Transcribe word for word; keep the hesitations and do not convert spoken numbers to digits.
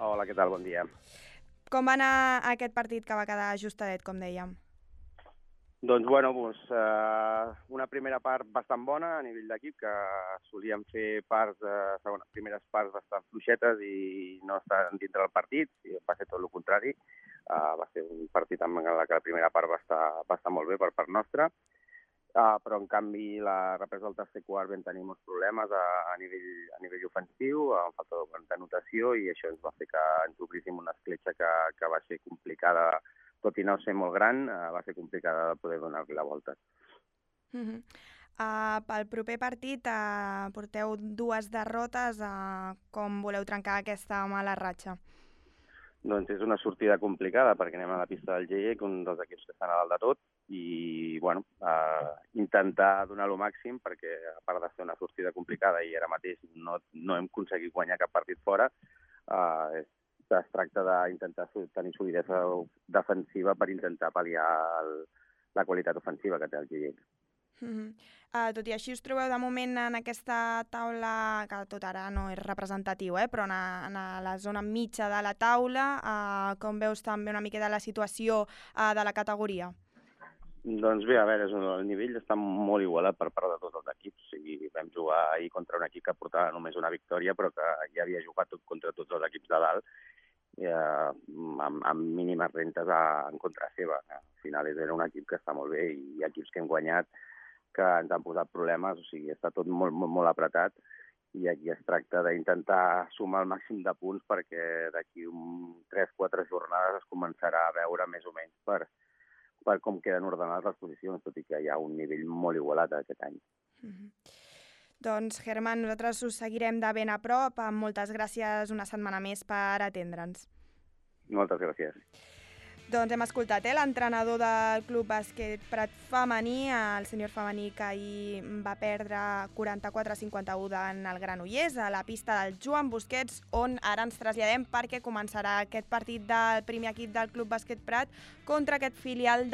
Hola, què tal? Bon dia. Com va anar aquest partit que va quedar ajustadet, com dèiem? Doncs, bueno, doncs, eh, una primera part bastant bona a nivell d'equip, que solíem fer parts, de, segona, primeres parts bastant fluixetes i no estar dintre del partit, i va ser tot el contrari. Uh, va ser un partit en què la primera part va estar, va estar molt bé per part nostra, uh, però en canvi la represa del tercer quart vam tenir molts problemes a, a, nivell, a nivell ofensiu, amb falta de notació, i això ens va fer que ens obríssim una escletxa que, que va ser complicada, tot i no ser molt gran, uh, va ser complicada de poder donar-li la volta. Uh -huh. uh, pel proper partit uh, porteu dues derrotes. Uh, com voleu trencar aquesta mala ratxa? Doncs és una sortida complicada perquè anem a la pista del G I E, un dels equips que estan a dalt de tot, i bueno, eh, intentar donar lo màxim perquè, a part de ser una sortida complicada i ara mateix no, no hem aconseguit guanyar cap partit fora, eh, es, es tracta d'intentar tenir solidesa defensiva per intentar pal·liar el, la qualitat ofensiva que té el G I E. Uh -huh. uh, tot i així us trobeu de moment en aquesta taula, que tot ara no és representatiu, eh? però en, a, en a la zona mitja de la taula, uh, com veus també una mica de la situació uh, de la categoria? Doncs bé, a veure, el nivell està molt igualat per part de tots els equips. O sigui, vam jugar ahir contra un equip que portava només una victòria, però que ja havia jugat tot contra tots els equips de dalt, eh, amb, amb mínimes rentes a, en contra seva. Al final era un equip que està molt bé i hi ha equips que hem guanyat que ens han posat problemes, o sigui, està tot molt, molt, molt apretat, i aquí es tracta d'intentar sumar el màxim de punts perquè d'aquí tres o quatre jornades es començarà a veure més o menys per, per com queden ordenades les posicions, tot i que hi ha un nivell molt igualat aquest any. Mm-hmm. Doncs, Germán, nosaltres us seguirem de ben a prop. Moltes gràcies una setmana més per atendre'ns. Moltes gràcies. Doncs hem escoltat eh, l'entrenador del Club Bàsquet Prat femení, el sènior femení, que ahir va perdre quaranta-quatre a cinquanta-u davant el Granollers a la pista del Joan Busquets, on ara ens traslladem perquè començarà aquest partit del primer equip del Club Bàsquet Prat contra aquest filial de